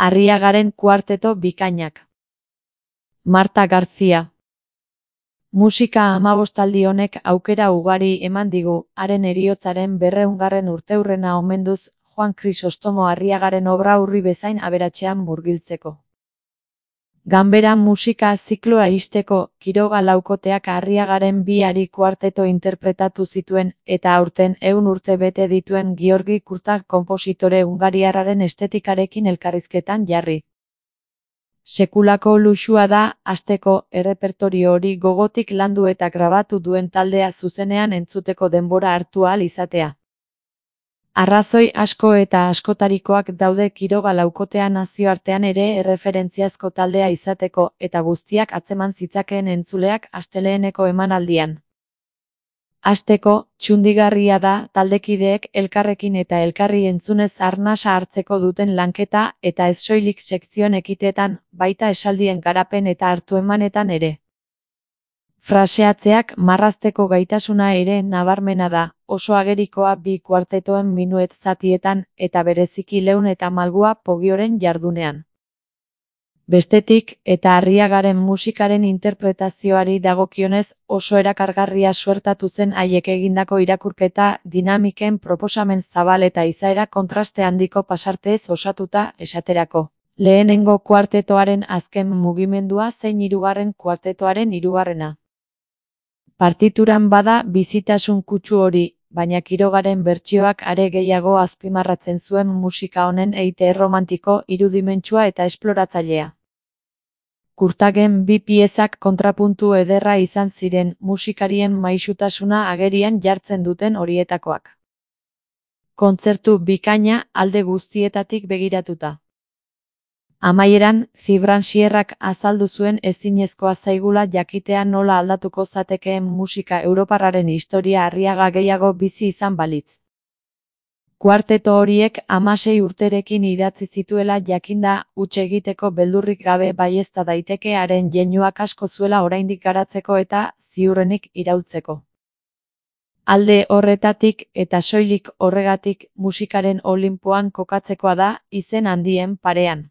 Arriagaren kuarteto bikainak. Marta García. Musika amabostaldi honek aukera ugari eman digu, haren heriotzaren 200. urteurrena omenduz, Juan Krisostomo Arriagaren obra urri bezain aberatsean murgiltzeko. Ganbera musika zikloa ixteko, Quiroga laukoteak Arriagaren 2 kuarteto interpretatu zituen, eta aurten 100 urte bete dituen Giorgi Kurtag konpositore hungariarraren estetikarekin elkarrizketan jarri. Sekulako luxua da, hasteko, errepertorio hori gogotik landu eta grabatu duen taldea zuzenean entzuteko denbora hartu ahal izatea. Arrazoi asko eta askotarikoak daude Quiroga laukotea nazioartean ere erreferentziazko taldea izateko, eta guztiak atzeman zitzakeen entzuleak asteleheneko emanaldian. Hasteko, txundigarria da taldekideek elkarrekin eta elkarri entzunez arnasa hartzeko duten lanketa eta ez soilik sekzioen ekiteetan, baita esaldien garapen eta hartu-emanetan ere. Fraseatzeak marrazteko gaitasuna ere nabarmena da, oso agerikoa 2 kuartetoen minuet zatietan, eta bereziki Leun eta Malgua Pogioren jardunean. Bestetik, eta Arriagaren musikaren interpretazioari dagokionez, oso erakargarria suertatu zen haiek egindako irakurketa, dinamiken proposamen zabal eta izaera kontraste handiko pasarteez osatuta, esaterako. Lehenengo kuartetoaren azken mugimendua zein 3. kuartetoaren 3. Partituran bada bizitasun kutsu hori, baina Quirogaren bertsioak are gehiago azpimarratzen zuen musika honen eite erromantiko, irudimentsua eta esploratzailea. Kurtagen 2 piezak kontrapuntu ederra izan ziren, musikarien maisutasuna agerian jartzen duten horietakoak. Kontzertu bikaina alde guztietatik begiratuta. Amaieran, Zibran Sierrak azaldu zuen ezinezkoa zaigula jakitea nola aldatuko zatekeen musika europarraren historia Arriaga gehiago bizi izan balitz. Kuarteto horiek 16 urterekin idatzi zituela jakinda, huts egiteko beldurrik gabe baiezta daiteke haren jeinuak asko zuela oraindik garatzeko eta, ziurrenik, iraultzeko. Alde horretatik, eta soilik horregatik, musikaren olinpoan kokatzekoa da, izen handien parean.